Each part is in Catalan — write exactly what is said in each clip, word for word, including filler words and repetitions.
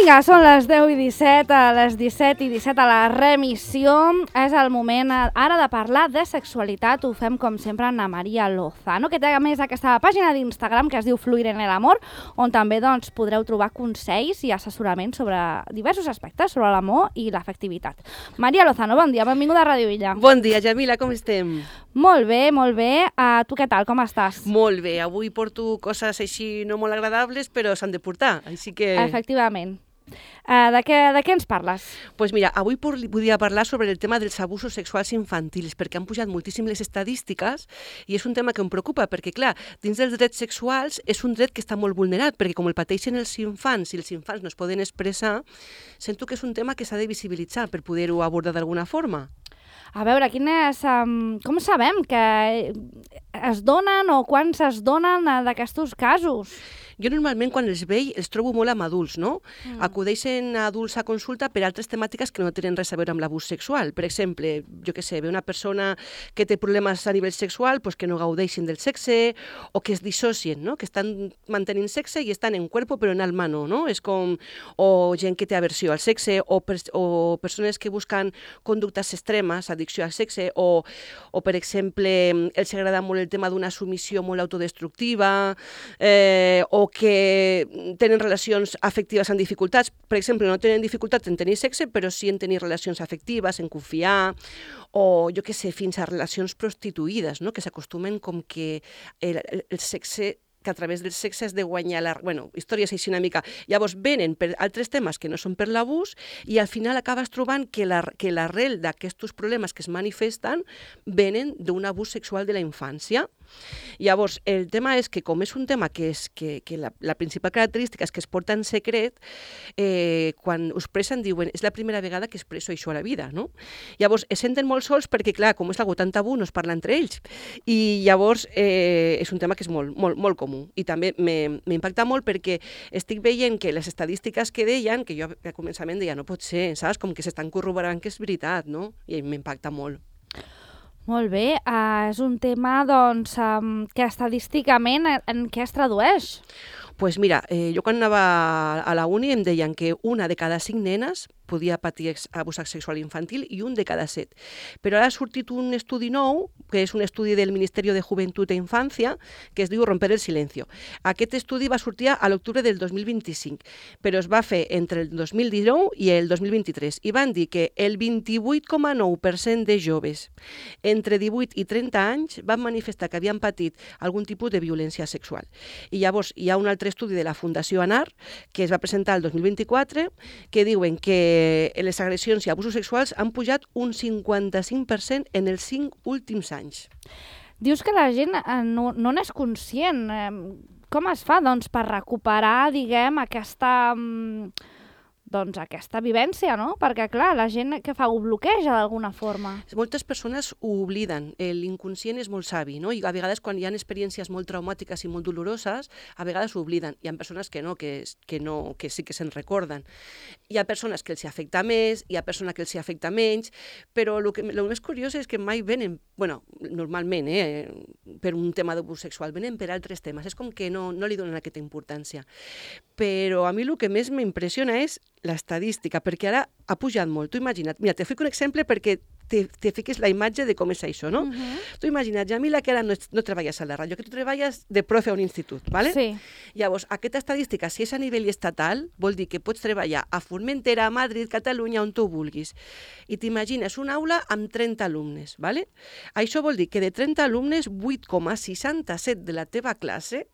Vinga, són les deu i disset, a les disset i disset a la remissió. És el moment ara de parlar de sexualitat. Ho fem, com sempre, amb la Maria Lozano, que té a més aquesta pàgina d'Instagram que es diu Fluir en el Amor, on també doncs, podreu trobar consells i assessorament sobre diversos aspectes, sobre l'amor i l'afectivitat. Maria Lozano, bon dia, benvinguda a Ràdio Illa. Bon dia, Jamila, com estem? Molt bé, molt bé. Uh, tu què tal, com estàs? Molt bé, avui porto coses així no molt agradables, però s'han de portar, així que... Efectivament. Uh, de, què, de què ens parles? Doncs pues mira, avui volia parlar sobre el tema dels abusos sexuals infantils, perquè han pujat moltíssim les estadístiques i és un tema que em preocupa, perquè clar, dins dels drets sexuals és un dret que està molt vulnerat, perquè com el pateixen els infants i els infants no es poden expressar, sento que és un tema que s'ha de visibilitzar per poder-ho abordar d'alguna forma. A veure, quin és, um, com sabem que es donen o quants es donen uh, d'aquests casos? Jo normalment quan els veig els trobo molt amb adults, no? Mm. Acudeixen adults a consulta per altres temàtiques que no tenen res a veure amb l'abús sexual. Per exemple, jo què sé, ve una persona que té problemes a nivell sexual, pues que no gaudeixin del sexe o que es dissocien, no? Que estan mantenint sexe i estan en cuerpo però en alma no, no? És com, o gent que té aversió al sexe o, pers o persones que busquen conductes extremes, addicció al sexe o, o per exemple, els agrada molt el tema d'una submissió molt autodestructiva eh, o que tenen relacions afectives amb dificultats. Per exemple, no tenen dificultats en tenir sexe, però sí en tenir relacions afectives, en confiar, o jo què sé, fins a relacions prostituïdes, no? Que s'acostumen com que el, el sexe que a través del sexe has de guanyar la... Bueno, històries així una mica. Llavors venen per altres temes que no són per l'abús i al final acabes trobant que l'arrel la, d'aquests problemes que es manifesten venen d'un abús sexual de la infància. Llavors, el tema és que com és un tema que, és, que, que la, la principal característica és que es porta en secret, eh, quan ho expressen diuen és la primera vegada que expresso això a la vida, no? Llavors, es senten molt sols perquè, clar, com és algo tan tabú, no es parla entre ells. I llavors eh, és un tema que és molt, molt, molt comú. I també m'impacta molt perquè estic veient que les estadístiques que deien, que jo al començament deia no pot ser, saps? Com que s'estan corroborant que és veritat, no? I m'impacta molt. Molt bé, uh, és un tema doncs, um, que estadísticament en, en què es tradueix? Doncs pues mira, eh, jo quan anava a la uni em deien que una de cada cinc nenes podia patir abús sexual infantil i un de cada set. Però ara ha sortit un estudi nou, que és un estudi del Ministeri de Joventut e Infància, que es diu Romper el Silencio. Aquest estudi va sortir a l'octubre del dos mil vint-i-cinc, però es va fer entre el dos mil dinou i el dos mil vint-i-tres, i van dir que el vint-i-vuit coma nou per cent de joves entre divuit i trenta anys van manifestar que havien patit algun tipus de violència sexual. I llavors hi ha un altre estudi de la Fundació ANAR, que es va presentar el dos mil vint-i-quatre, que diuen que les agressions i abusos sexuals han pujat un cinquanta-cinc per cent en els cinc últims anys. Dius que la gent eh, no, no n'és conscient. Eh, com es fa, doncs, per recuperar, diguem, aquesta... Mm, doncs aquesta vivència, no? Perquè, clar, la gent que fa ho bloqueja d'alguna forma. Moltes persones ho obliden. L'inconscient és molt savi, no? I a vegades quan hi ha experiències molt traumàtiques i molt doloroses, a vegades ho obliden. Hi ha persones que no, que, que, no, que sí que se'n recorden. Hi ha persones que els afecta més, hi ha persones que els afecta menys, però el que, el més curiós és que mai venen, bueno, normalment, eh, per un tema d'abús sexual, venen per altres temes. És com que no, no li donen aquesta importància. Però a mi el que més m'impressiona és l'estadística, perquè ara ha pujat molt. Tu imagina't, mira, te fico un exemple perquè te, te fiques la imatge de com és això, no? Uh -huh. Tu imagina't, Jamila, que ara no, no treballes a la ràdio, que tu treballes de profe a un institut, ¿vale? Sí. Llavors, aquesta estadística, si és a nivell estatal, vol dir que pots treballar a Formentera, a Madrid, Catalunya, on tu vulguis. I t'imagines una aula amb trenta alumnes, ¿vale? Això vol dir que de trenta alumnes, vuit coma seixanta-set de la teva classe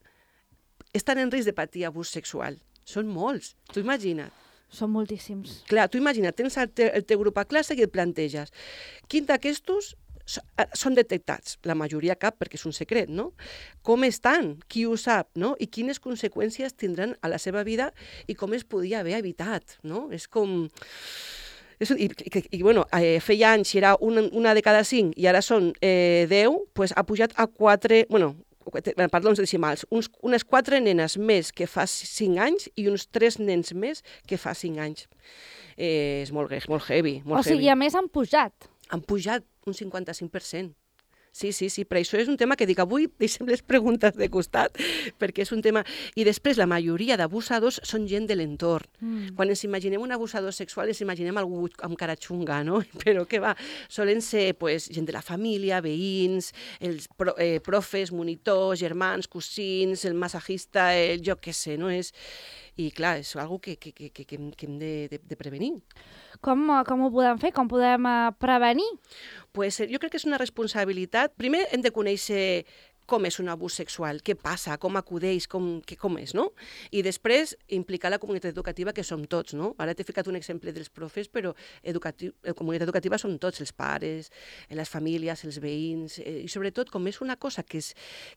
estan en risc de patir abús sexual. Són molts, tu imagina't. Són moltíssims. Clar, tu imagina, tens el, te, el teu grup a classe i et planteges quin d'aquestos són detectats? La majoria cap, perquè és un secret, no? Com estan? Qui ho sap, no? I quines conseqüències tindran a la seva vida i com es podia haver evitat, no? És com... És, i, i, i bueno, eh, feia anys era una, una de cada cinc i ara són eh, deu, pues ha pujat a quatre... Bueno, perdons decimals, uns, unes quatre nenes més que fa cinc anys i uns tres nens més que fa cinc anys. Eh, és molt, molt heavy. Molt o sigui, heavy. a més han pujat. Han pujat un cinquanta-cinc per cent. Sí, sí, sí, però això és un tema que dic avui, deixem les preguntes de costat, perquè és un tema... I després, la majoria d'abusadors són gent de l'entorn. Mm. Quan ens imaginem un abusador sexual, ens imaginem algú amb cara xunga, no? Però què va? Solen ser pues, gent de la família, veïns, els pro, eh, profes, monitors, germans, cosins, el massajista, el jo què sé, no? És... I clar, és una que, que, que, que, que hem de, de, de prevenir. Com, com ho podem fer? Com podem uh, prevenir? Pues, jo crec que és una responsabilitat. Primer hem de conèixer com és un abús sexual, què passa, com acudeix, com, que, com és, no? I després implicar la comunitat educativa, que som tots, no? Ara t'he ficat un exemple dels profes, però educatiu, la comunitat educativa són tots, els pares, les famílies, els veïns, eh, i sobretot, com és una cosa que, és,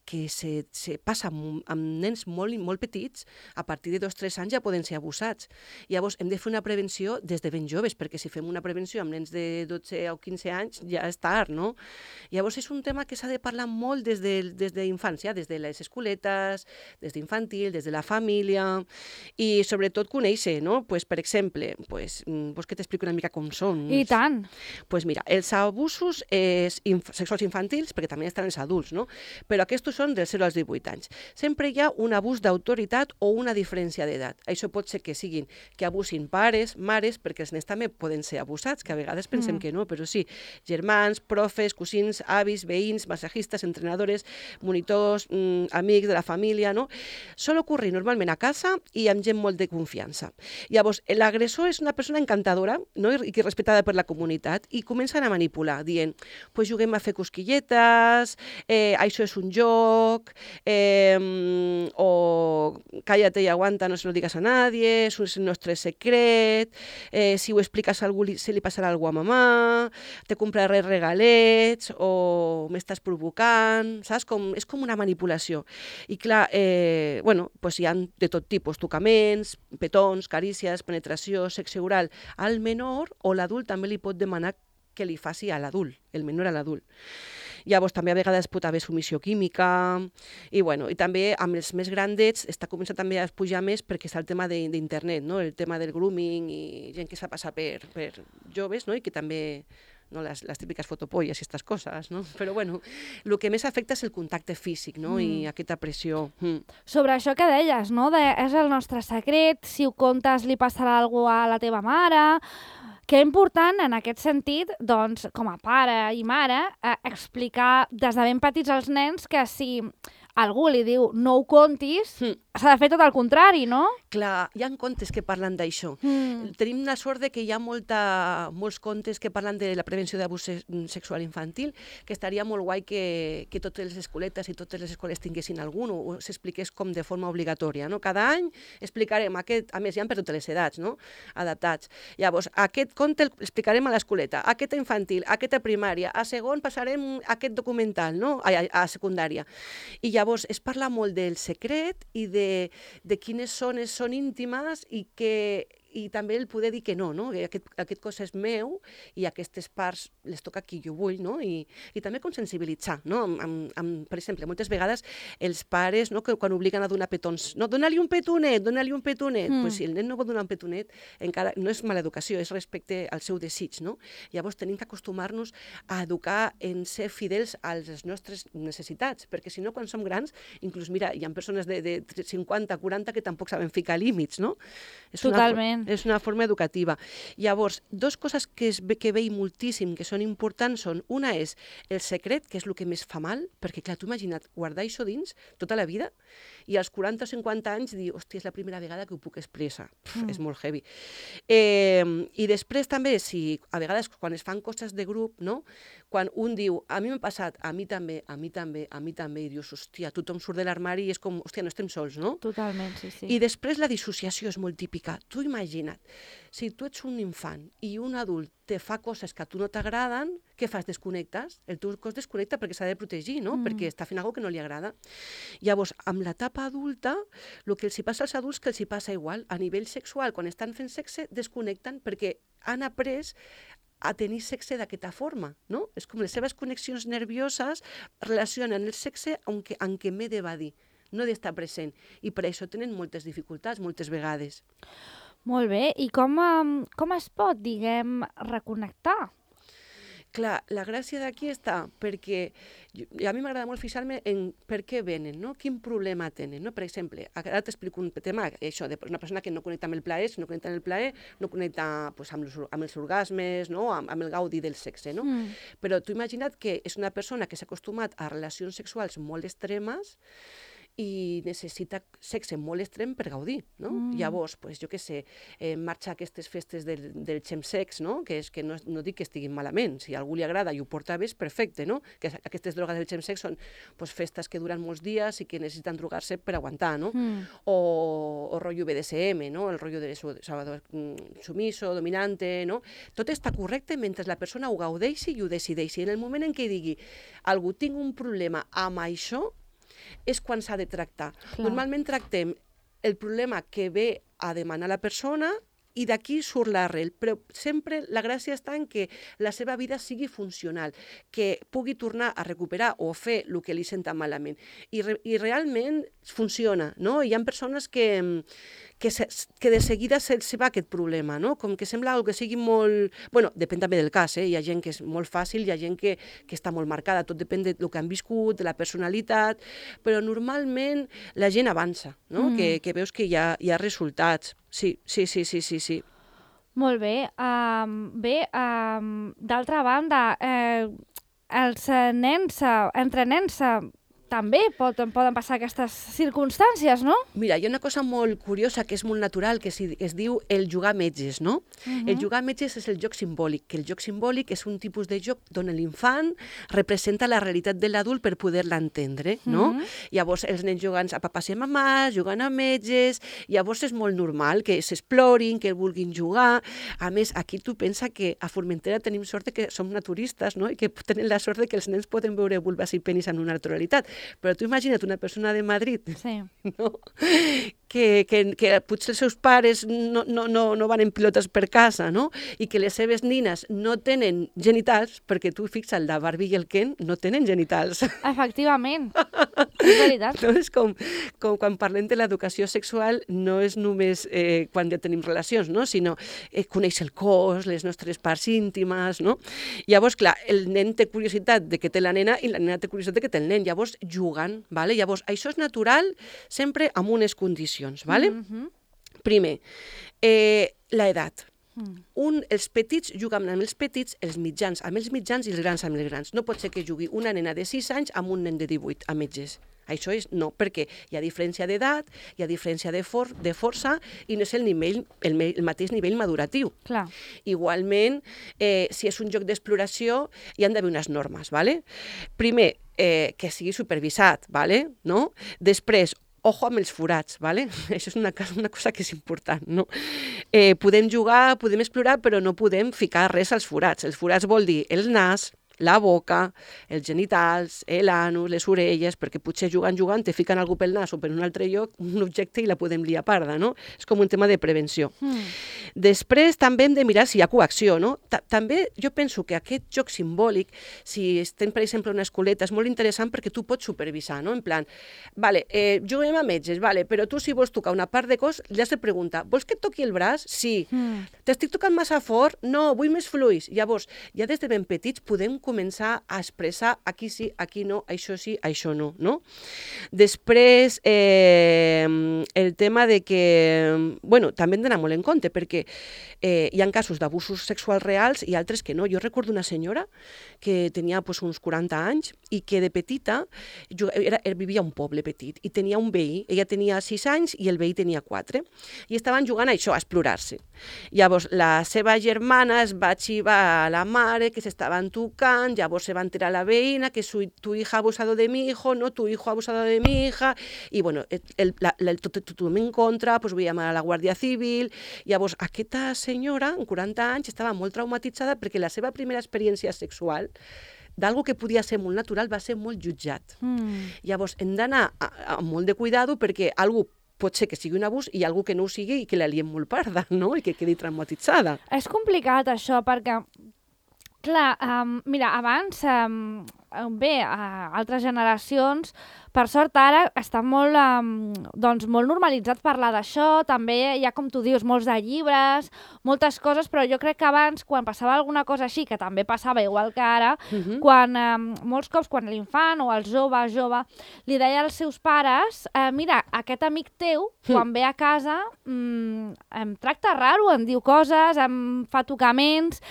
que se, se passa amb, amb nens molt, molt petits, a partir de dos o tres anys ja poden ser abusats. Llavors, hem de fer una prevenció des de ben joves, perquè si fem una prevenció amb nens de dotze o quinze anys, ja és tard, no? Llavors, és un tema que s'ha de parlar molt des del des d'infància, des de les escoletes, des d'infantil, des de la família, i sobretot conèixer, no? Pues, per exemple, pues, vols que t'expliqui una mica com són? I tant! Pues mira, els abusos és inf sexuals infantils, perquè també estan els adults, no? Però aquests són dels zero als divuit anys. Sempre hi ha un abús d'autoritat o una diferència d'edat. Això pot ser que siguin que abusin pares, mares, perquè els nens també poden ser abusats, que a vegades pensem mm. que no, però sí, germans, profes, cosins, avis, veïns, massajistes, entrenadores, monitors, mmm, amics de la família, no? Sol ocorrir normalment a casa i amb gent molt de confiança. Llavors, l'agressor és una persona encantadora, no? I que respectada per la comunitat, i comencen a manipular, dient, pues juguem a fer cosquilletes, eh, això és un joc, eh, o cállate y aguanta, no se lo digas a nadie, és el nostre secret, eh, si ho expliques a algú se li passarà alguna a mamà, te compraré regalets, o m'estàs provocant, saps? Com Com, és com una manipulació. I clar, eh, bueno, pues hi ha de tot tipus, tocaments, petons, carícies, penetració, sexe oral al menor, o l'adult també li pot demanar que li faci a l'adult, el menor a l'adult. Llavors, també a vegades pot haver submissió química, i, bueno, i també amb els més grandets està començant també a pujar més perquè està el tema d'internet, no? El tema del grooming i gent que s'ha passat per, per joves, no? I que també... no? les, les típiques fotopolles i aquestes coses, no? Però bueno, el que més afecta és el contacte físic, no? Mm. I aquesta pressió. Mm. Sobre això que deies, no? De, és el nostre secret, si ho contes li passarà alguna cosa a la teva mare. Que important, en aquest sentit, doncs, com a pare i mare, eh, explicar des de ben petits als nens que si algú li diu no ho contis, mm. s'ha de fer tot el contrari, no? Clar, hi ha contes que parlen d'això. Mm. Tenim la sort de que hi ha molta, molts contes que parlen de la prevenció d'abús sexual infantil, que estaria molt guai que, que totes les escoletes i totes les escoles tinguessin algun, o, o s'expliqués com de forma obligatòria, no? Cada any explicarem aquest, a més hi ha per totes les edats, no? Adaptats. Llavors, aquest conte l'explicarem a l'escoleta, aquesta infantil, aquesta primària, a segon passarem aquest documental, no? A, a, a secundària. I llavors es parla molt del secret i de, de quines zones són íntimes i que i també el poder dir que no, no? Que aquest, aquest cos és meu i aquestes parts les toca qui jo vull, no? I, i també com sensibilitzar, no? Amb, amb, amb, per exemple, moltes vegades els pares, no? Que quan obliguen a donar petons, no, dona-li un petonet, dona-li un petonet, mm. pues si el nen no vol donar un petonet, encara no és mala educació, és respecte al seu desig, no? Llavors tenim que acostumar-nos a educar en ser fidels a les nostres necessitats, perquè si no, quan som grans, inclús, mira, hi ha persones de, de cinquanta, quaranta que tampoc saben ficar límits, no? És Totalment. Una, és una forma educativa. Llavors, dues coses que, es, que veig moltíssim, que són importants, són, una és el secret, que és el que més fa mal, perquè, clar, tu imagina't, guardar això dins tota la vida, i als quaranta o cinquanta anys dir, hòstia, és la primera vegada que ho puc expressar. Pff, mm. És molt heavy. Eh, I després també, si a vegades quan es fan coses de grup, no? Quan un diu, a mi m'ha passat, a mi també, a mi també, a mi també, i dius, hòstia, tothom surt de l'armari i és com, hòstia, no estem sols, no? Totalment, sí, sí. I després la dissociació és molt típica. Tu imagina't, si tu ets un infant i un adult te fa coses que a tu no t'agraden, què fas? Desconnectes? El teu cos desconnecta perquè s'ha de protegir, no? Mm. Perquè està fent alguna cosa que no li agrada. Llavors, amb l'etapa adulta, el que els hi passa als adults que els hi passa igual. A nivell sexual, quan estan fent sexe, desconnecten perquè han après a tenir sexe d'aquesta forma, no? És com les seves connexions nervioses relacionen el sexe amb què, amb què m'he d'evadir, no d'estar present. I per això tenen moltes dificultats, moltes vegades. Molt bé. I com, com es pot, diguem, reconnectar? Clar, la gràcia d'aquí està perquè jo, a mi m'agrada molt fixar-me en per què venen, no? Quin problema tenen, no? Per exemple, ara t'explico un tema, això, de una persona que no connecta amb el plaer, si no connecta amb el plaer, no connecta pues, amb, els, amb els orgasmes, no? amb, amb el gaudi del sexe, no? Mm. Però tu imagina't que és una persona que s'ha acostumat a relacions sexuals molt extremes i necessita sexe molt extrem per gaudir, no? Mm. Llavors, pues, jo què sé, eh, marxa a aquestes festes del, del chemsex, no? Que, és, que no, no dic que estiguin malament, si a algú li agrada i ho porta bé, és perfecte, no? Que aquestes drogues del chemsex són pues, festes que duren molts dies i que necessiten drogar-se per aguantar, no? Mm. O, o rotllo B D S M, no? El rotllo de Salvador sumiso, dominante, no? Tot està correcte mentre la persona ho gaudeixi i ho decideixi. En el moment en què digui algú tinc un problema amb això, és quan s'ha de tractar. Clar. Normalment tractem el problema que ve a demanar la persona i d'aquí surt l'arrel, però sempre la gràcia està en que la seva vida sigui funcional, que pugui tornar a recuperar o fer el que li senta malament. I, re, i realment funciona, no? Hi ha persones que, que, se, que de seguida se'ls va aquest problema, no? Com que sembla que sigui molt... Bueno, depèn també del cas, eh? Hi ha gent que és molt fàcil, hi ha gent que, que està molt marcada, tot depèn del que han viscut, de la personalitat, però normalment la gent avança, no? Mm. Que, que veus que hi ha, hi ha resultats. Sí, sí, sí, sí, sí, sí. Molt bé. Um, bé, um, d'altra banda, eh, els nens, entre nens, també poden, poden passar aquestes circumstàncies, no? Mira, hi ha una cosa molt curiosa que és molt natural, que es, es diu el jugar metges, no? Uh-huh. El jugar metges és el joc simbòlic, que el joc simbòlic és un tipus de joc on l'infant representa la realitat de l'adult per poder-la entendre, no? Uh-huh. Llavors, els nens jugant a papàs i a mamàs, jugant a metges, llavors és molt normal que s'explorin, que vulguin jugar. A més, aquí tu pensa que a Formentera tenim sort de que som naturistes, no? I que tenen la sort de que els nens poden veure vulves i penis en una altra realitat. Però tu imagina't una persona de Madrid, sí. No? que, que, que potser els seus pares no, no, no, no van en pilotes per casa, no? I que les seves nines no tenen genitals, perquè tu fixa't, la Barbie i el Ken no tenen genitals. Efectivament, és veritat. No és com, com quan parlem de l'educació sexual, no és només eh, quan ja tenim relacions, no? Sinó eh, conèixer el cos, les nostres parts íntimes, no? Llavors, clar, el nen té curiositat de que té la nena i la nena té curiositat de que té el nen. Llavors, jugant, ¿vale? Llavors, això és natural sempre amb unes condicions, ¿vale? Mm-hmm. Primer, eh, l'edat. Mm. Un, els petits juguen amb els petits, els mitjans amb els mitjans i els grans amb els grans. No pot ser que jugui una nena de sis anys amb un nen de divuit, a metges. Això és no, perquè hi ha diferència d'edat, hi ha diferència de, for de força i no és el, nivell, el, el mateix nivell maduratiu. Clar. Igualment, eh, si és un joc d'exploració, hi han d'haver unes normes, ¿vale? Primer, eh, que sigui supervisat, ¿vale? No? Després, ojo amb els forats, ¿vale? Això és una, una cosa que és important, no? Eh, podem jugar, podem explorar, però no podem ficar res als forats. Els forats vol dir el nas, la boca, els genitals, l'anus, les orelles, perquè potser jugant, jugant, te fiquen algú pel nas o per un altre lloc, un objecte i la podem liar parda, no? És com un tema de prevenció. Mm. Després també hem de mirar si hi ha coacció, no? També jo penso que aquest joc simbòlic, si estem, per exemple, a una escoleta, és molt interessant perquè tu pots supervisar, no? En plan, vale, eh, juguem a metges, vale, però tu si vols tocar una part de cos, li has de preguntar, vols que et toqui el braç? Sí. Mm. T'estic tocant massa fort? No, vull més fluix. Llavors, ja des de ben petits podem començar a expressar aquí sí, aquí no, això sí, això no, no? Després, eh, el tema de que, bueno, també hem d'anar molt en compte, perquè eh, hi ha casos d'abusos sexuals reals i altres que no. Jo recordo una senyora que tenia pues, uns quaranta anys i que de petita era, vivia a un poble petit i tenia un veí. Ella tenia sis anys i el veí tenia quatre. I estaven jugant a això, a explorar-se. Llavors, la seva germana es va xivar a la mare que s'estaven tocant, llavors se va enterar la veïna que su, tu hija ha abusado de mi hijo, no, tu hijo ha abusado de mi hija, i bueno, el, la, la, el, tot, tothom en contra, pues vull llamar a la Guàrdia Civil. Llavors, aquesta senyora, amb quaranta anys, estava molt traumatitzada perquè la seva primera experiència sexual d'algo que podia ser molt natural va ser molt jutjat. Mm. Llavors, hem d'anar amb molt de cuidado perquè algú pot ser que sigui un abús i algú que no ho sigui i que la liem molt parda, no? I que quedi traumatitzada. És complicat això perquè, clar, um, mira, abans, um, bé, a altres generacions, Per sort ara està molt, um, doncs, molt normalitzat parlar d'això, també hi ha, com tu dius, molts de llibres, moltes coses, però jo crec que abans, quan passava alguna cosa així, que també passava igual que ara, uh-huh. quan um, molts cops quan l'infant o el jove, jove, li deia als seus pares, eh, mira, aquest amic teu, quan ve a casa, mm, em tracta raro, em diu coses, em fa tocaments.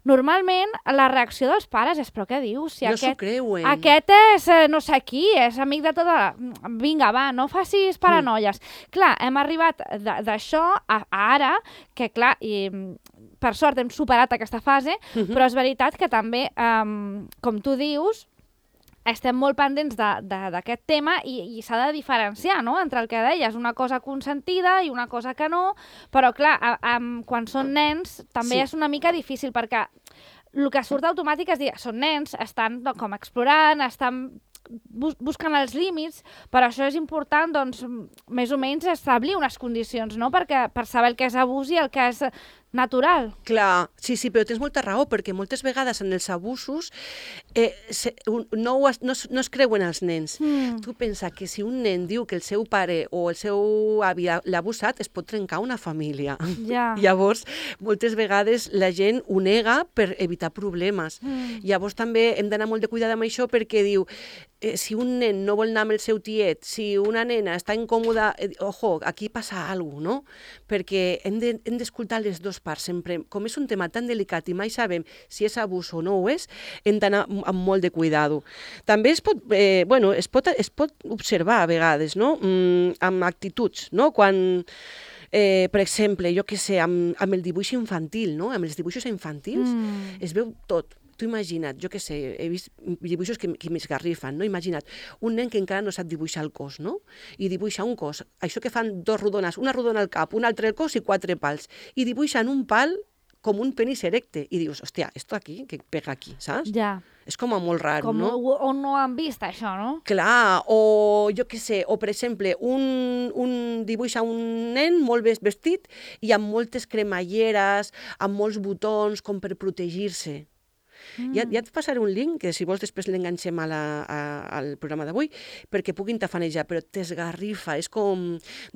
Normalment, la reacció dels pares és, però què dius? Si no aquest, s'ho creuen. Aquest és eh, no sé qui, és amic de tota la... Vinga, va, no facis paranoies. Mm. Clar, hem arribat d'això a, a ara, que clar, i, per sort hem superat aquesta fase, mm-hmm. però és veritat que també, um, com tu dius, estem molt pendents d'aquest tema i, i s'ha de diferenciar, no?, entre el que deies, una cosa consentida i una cosa que no, però clar, a, a, quan són nens també sí. és una mica difícil, perquè el que surt automàtic és dir, són nens, estan doncs, com explorant, estan bus busquen els límits, però això és important, doncs, més o menys establir unes condicions, no?, perquè, per saber el que és abús i el que és natural. Clar, sí, sí, però tens molta raó, perquè moltes vegades en els abusos eh, se, no, es, no, no es creuen els nens. Mm. Tu pensa que si un nen diu que el seu pare o el seu avi l'ha abusat, es pot trencar una família. Ja. Llavors, moltes vegades la gent ho nega per evitar problemes. Mm. Llavors també hem d'anar molt de cuidado amb això, perquè diu, eh, si un nen no vol anar amb el seu tiet, si una nena està incòmoda, eh, ojo, aquí passa alguna cosa, no? Perquè hem d'escoltar de, les dues parts sempre. Com és un tema tan delicat i mai sabem si és abús o no ho és, hem d'anar amb molt de cuidado. També es pot, eh, bueno, es pot, es pot observar a vegades, no?, mm, amb actituds, no?, quan... Eh, per exemple, jo què sé, amb, amb el dibuix infantil, no?, amb els dibuixos infantils, mm. es veu tot. Tu imagina't, jo què sé, he vist dibuixos que, que m'esgarrifen, no? Imagina't, un nen que encara no sap dibuixar el cos, no? I dibuixa un cos, això que fan dos rodones, una rodona al cap, una altra al cos i quatre pals, i dibuixen un pal com un penis erecte, i dius, hòstia, esto aquí, que pega aquí, saps? Ja. És com a molt raro, com no? O no han vist això, no? Clar, o jo què sé, o per exemple, un, un dibuixa un nen molt vestit i amb moltes cremalleres, amb molts botons, com per protegir-se. Mm. Ja, ja et passaré un link, que si vols després l'enganxem a la, a, al programa d'avui, perquè puguin tafanejar, però t'esgarrifa, és com...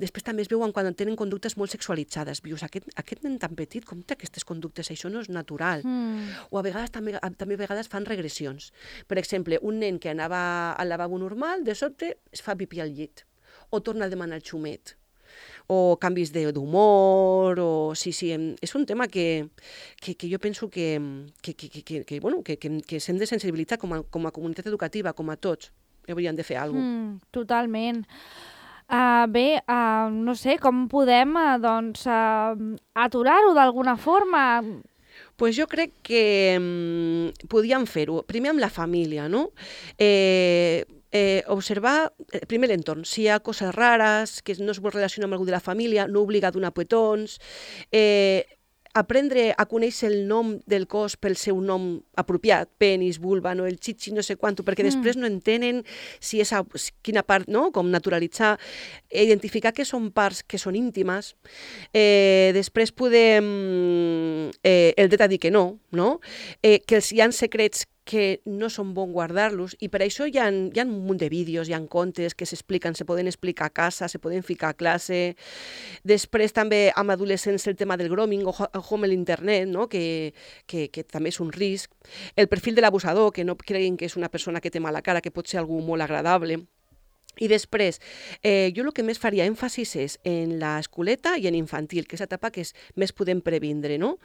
Després també es veuen quan tenen conductes molt sexualitzades. Vius, aquest, aquest nen tan petit, com té aquestes conductes? Això no és natural. Mm. O a vegades també, a, també a vegades fan regressions. Per exemple, un nen que anava al lavabo normal, de sobte es fa pipí al llit, o torna a demanar el xumet, o canvis d'humor, o... Sí, sí, és un tema que, que, que jo penso que, que, que, que, que, bueno, que, que, que s'hem de sensibilitzar com a, com a comunitat educativa, com a tots. Hauríem de fer alguna cosa. Mm, totalment. Uh, bé, uh, no sé, com podem uh, doncs, uh, aturar-ho d'alguna forma? Pues jo crec que um, podíem fer-ho. Primer amb la família, no? Eh... Eh, observar, eh, primer l'entorn, si hi ha coses rares, que no es vol relacionar amb algú de la família, no obligar a donar petons, eh, aprendre a conèixer el nom del cos pel seu nom apropiat, penis, vulva, no, el xitxi, no sé quanto, perquè mm. després no entenen si és a, quina part, no?, com naturalitzar, identificar que són parts que són íntimes, eh, després podem eh, el dret a dir que no, no? Eh, que hi ha secrets que no són bon guardar-los, i per això hi ha, hi ha un munt de vídeos, hi ha contes que s'expliquen, se poden explicar a casa, se poden ficar a classe. Després també amb adolescents el tema del grooming, o home a l'internet, no? que, que, que també és un risc. El perfil de l'abusador, que no creguin que és una persona que té mala cara, que pot ser algú molt agradable. I després, eh, jo el que més faria èmfasis és en l'escoleta i en infantil, que és l'etapa que és, més podem previndre, no?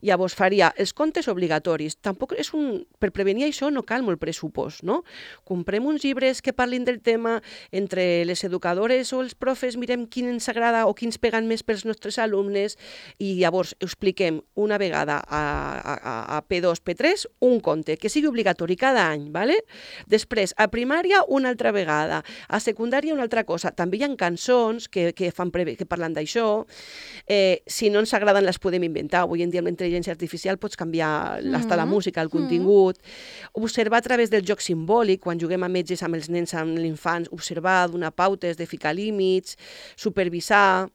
Llavors faria els contes obligatoris. Tampoc és un... Per prevenir això no cal molt pressupost, no? Comprem uns llibres que parlin del tema, entre les educadores o els profes mirem quin ens agrada o quins peguen més pels nostres alumnes, i llavors expliquem una vegada a, a, a P dos, P tres un conte, que sigui obligatori cada any, ¿vale? Després, a primària una altra vegada, a secundària una altra cosa. També hi ha cançons que, que, fan preve, que parlen d'això. Eh, si no ens agraden les podem inventar. Avui en dia amb la intel·ligència artificial pots canviar mm -hmm. la música, el contingut. Mm -hmm. Observar a través del joc simbòlic, quan juguem amb metges, amb els nens, amb l'infant, observar, donar pautes, de ficar límits, supervisar.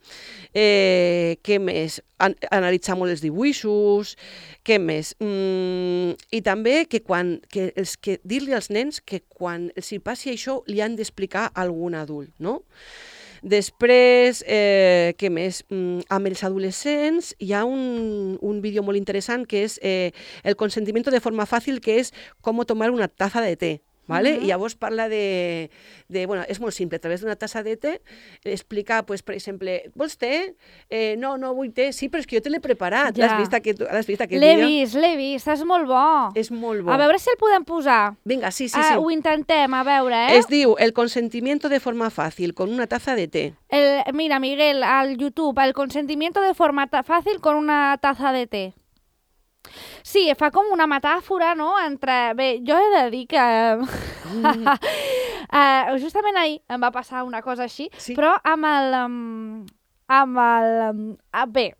Eh, què més? An analitzar molt els dibuixos. Què més? Mm, I també que quan, que els, que dir-li als nens que quan els hi passi això li han d'explicar a algun adult, no? Després, eh, què més? Mm, amb els adolescents hi ha un, un vídeo molt interessant que és eh, el consentimiento de forma fàcil, que és com tomar una taza de té. ¿Vale? Uh-huh. I llavors parla de, de... Bueno, és molt simple, a través d'una tassa de té, explica, pues, per exemple, vols té? Eh, no, no vull té. Sí, però és que jo te l'he preparat. Ja. L'has vist aquest, l'has vist aquest l'he vídeo? vist, l'he vist, és molt bo. És molt bo. A veure si el podem posar. Vinga, sí, sí, Uh, sí. ho intentem, a veure, eh? Es diu El consentimiento de forma fácil, con una taza de té. El, mira, Miguel, al YouTube, el consentimiento de forma fàcil con una taza de té. Sí, fa com una metàfora, no?, entre... Bé, jo he de dir que... Mm. uh, justament ahir em va passar una cosa així, sí? Però amb el... Um, amb el... Um, uh, bé,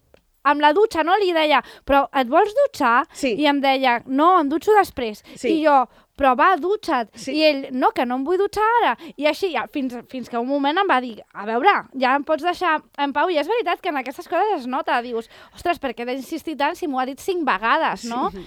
amb la dutxa, no?, li deia, però et vols dutxar? Sí. I em deia, no, em dutxo després. Sí. I jo, però va, dutxa't. Sí. I ell, no, que no em vull dutxar ara. I així, ja, fins, fins que un moment em va dir, a veure, ja em pots deixar en pau. I és veritat que en aquestes coses es nota. Dius, ostres, per què he d'insistir tant si m'ho ha dit cinc vegades, no? Sí.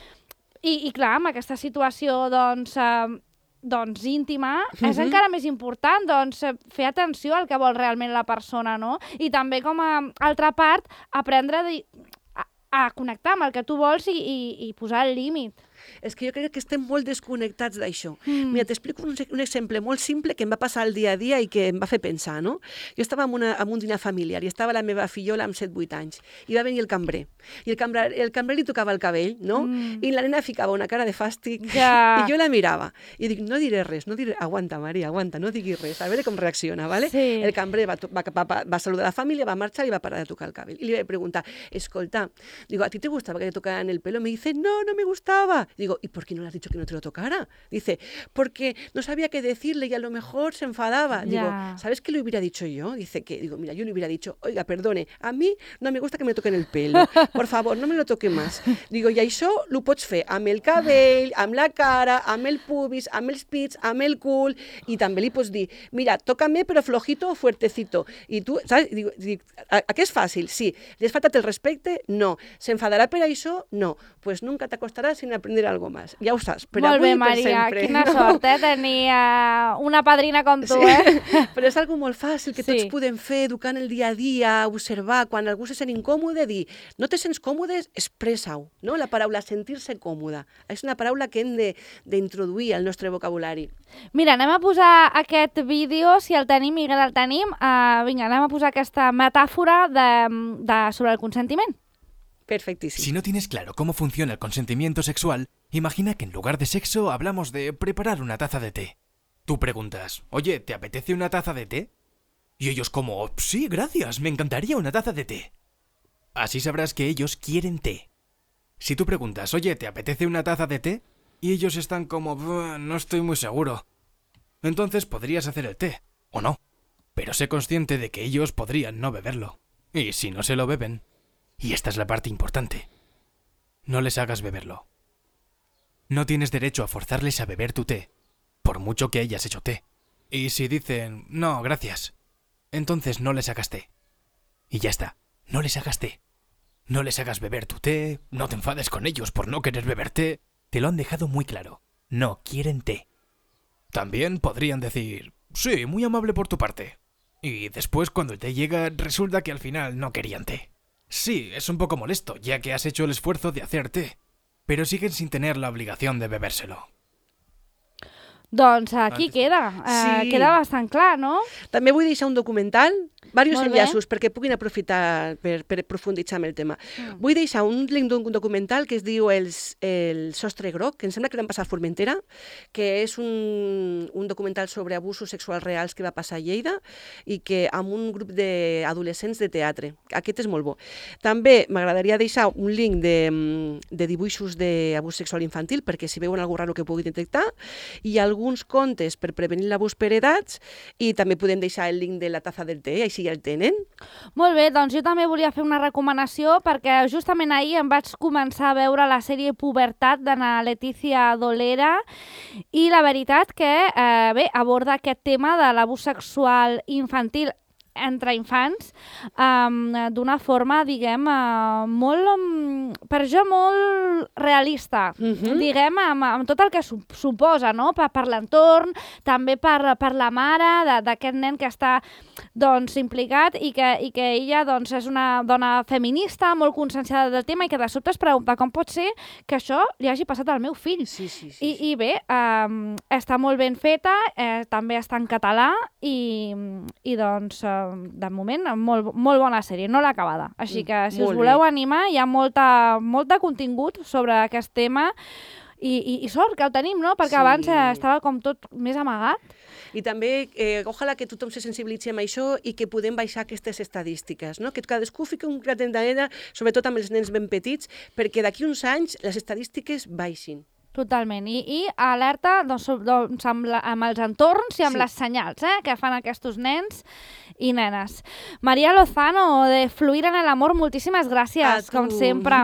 I, I clar, amb aquesta situació, doncs... Eh, doncs íntima, és uh-huh. encara més important, doncs fer atenció al que vol realment la persona, no? I també com a altra part, aprendre a, a connectar amb el que tu vols i, i, i posar el límit. És que jo crec que estem molt desconnectats d'això. Mm. Mira, t'explico un, un exemple molt simple que em va passar el dia a dia i que em va fer pensar, no? Jo estava en, una, en un dinar familiar i estava la meva fillola amb set vuit anys i va venir el cambrer. I el cambrer, el cambrer li tocava el cabell, no? Mm. I la nena ficava una cara de fàstic ja. i jo la mirava. I dic, no diré res, no diré... Aguanta, Maria, aguanta, no diguis res, a veure com reacciona, ¿vale? Sí. El cambrer va, va, va, va saludar a la família, va marxar i va parar de tocar el cabell. I li vaig preguntar, escolta, digo, ¿a ti te gustaba que te tocaran el pelo? Me dice, no, no me gustaba. Digo, ¿y por qué no le has dicho que no te lo tocara? Dice, porque no sabía qué decirle y a lo mejor se enfadaba. Ya. Digo, ¿sabes qué le hubiera dicho yo? Dice que, digo, mira, yo le hubiera dicho, oiga, perdone, a mí no me gusta que me toquen el pelo, por favor, no me lo toque más. Digo, i això lo pots fer amb el cabell, amb la cara, amb el pubis, amb els pits, amb el cul, i també li pots dir, mira, tócame però flojito o fuertecito. I tu, saps? Digo, dic, a, a què és fàcil? Sí. Li has faltat el respecte? No. S'enfadarà per això? No. Pues nunca t'acostaràs sin aprender algo más. Ja ho saps, per Molt avui bé, i per Maria, sempre. quina no? sort, eh, tenir uh, una padrina com tu, sí. eh? Però és algo molt fàcil que Sí. tots podem fer, educar en el dia a dia, observar, quan algú se sent incòmode, dir, no te sents còmode, expressa-ho, no? La paraula sentir-se còmode. És una paraula que hem de- d'introduir al nostre vocabulari. Mira, anem a posar aquest vídeo, si el tenim, Miguel, el tenim. Uh, vinga, anem a posar aquesta metàfora de, de, sobre el consentiment. Perfectíssim. Si no tienes claro cómo funciona el consentimiento sexual, imagina que en lugar de sexo hablamos de preparar una taza de té. Tú preguntas, oye, ¿te apetece una taza de té? Y ellos como, sí, gracias, me encantaría una taza de té. Así sabrás que ellos quieren té. Si tú preguntas, oye, ¿te apetece una taza de té? Y ellos están como, no estoy muy seguro. Entonces podrías hacer el té, o no. Pero sé consciente de que ellos podrían no beberlo. Y si no se lo beben... Y esta es la parte importante. No les hagas beberlo. No tienes derecho a forzarles a beber tu té, por mucho que hayas hecho té. Y si dicen, no, gracias, entonces no les hagas té. Y ya está, no les hagas té. No les hagas beber tu té, no te enfades con ellos por no querer beber té. Te lo han dejado muy claro. No quieren té. También podrían decir, sí, muy amable por tu parte. Y después cuando el té llega, resulta que al final no querían té. Sí, es un poco molesto, ya que has hecho el esfuerzo de hacer té, pero siguen sin tener la obligación de bebérselo. Doncs aquí Antes- queda, uh, Sí. queda bastant clar, no? També vull deixar un documental, diversos Molt bé. enllaços perquè puguin aprofitar per, per profunditzar en el tema. Mm. Vull deixar un link d'un documental que es diu El, el sostre groc, que em sembla que l'han passat a Formentera, que és un, un documental sobre abusos sexuals reals que va passar a Lleida i que amb un grup d'adolescents de teatre. Aquest és molt bo. També m'agradaria deixar un link de, de dibuixos d'abús sexual infantil perquè si veuen alguna raro que pugui detectar i alguns contes per prevenir l'abús per edats i també podem deixar el link de la taza del té, així ja el tenen. Molt bé, doncs jo també volia fer una recomanació perquè justament ahir em vaig començar a veure la sèrie Pubertat de na Letícia Dolera i la veritat que, eh, bé, aborda aquest tema de l'abús sexual infantil entre infants um, d'una forma, diguem, uh, molt, um, per jo, molt realista, Mhm. diguem, amb, amb tot el que su suposa, no? Per, per l'entorn, també per, per la mare de- d'aquest nen que està doncs, implicat i que, i que ella doncs, és una dona feminista, molt conscienciada del tema i que de sobte es pregunta com pot ser que això li hagi passat al meu fill. Sí, sí, sí. I, sí. I bé, um, està molt ben feta, eh, també està en català i, i doncs, eh, de moment, molt, molt bona sèrie, no l'he acabada. Així que, si us Molt voleu bé. animar, hi ha molta, molt de contingut sobre aquest tema i, i, i sort que el tenim, no? Perquè Sí. abans eh, estava com tot més amagat. I també, eh, ojalà que tothom se sensibilitzi amb això i que podem baixar aquestes estadístiques, no? Que cadascú fiqui un granet d'arena, sobretot amb els nens ben petits, perquè d'aquí uns anys les estadístiques baixin. Totalment. I, i alerta doncs, so- doncs, amb, la, amb els entorns i amb Sí. les senyals eh, que fan aquests nens i nenes. Maria Lozano, de Fluir en el Amor, moltíssimes gràcies, A com tu. sempre.